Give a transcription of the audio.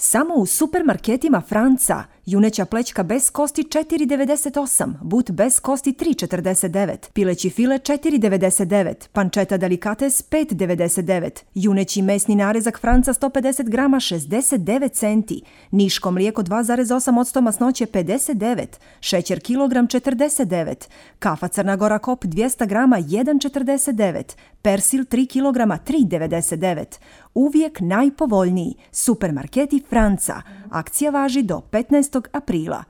Samo u supermarketima Franca. Juneća plećka bez kosti 4,98, but bez kosti 3,49, pileći file 4,99, pancetta delicates 5,99, juneći mesni narezak Franca 150 grama 69 centi, niško mlijeko 2,8% masnoće 59, šećer kilogram 49, kafa Crna Gora Kop 200 grama 1,49, persil 3 kilograma 3,99. Uvijek najpovoljniji. Supermarketi Franca. Akcija važi do 15. aprila.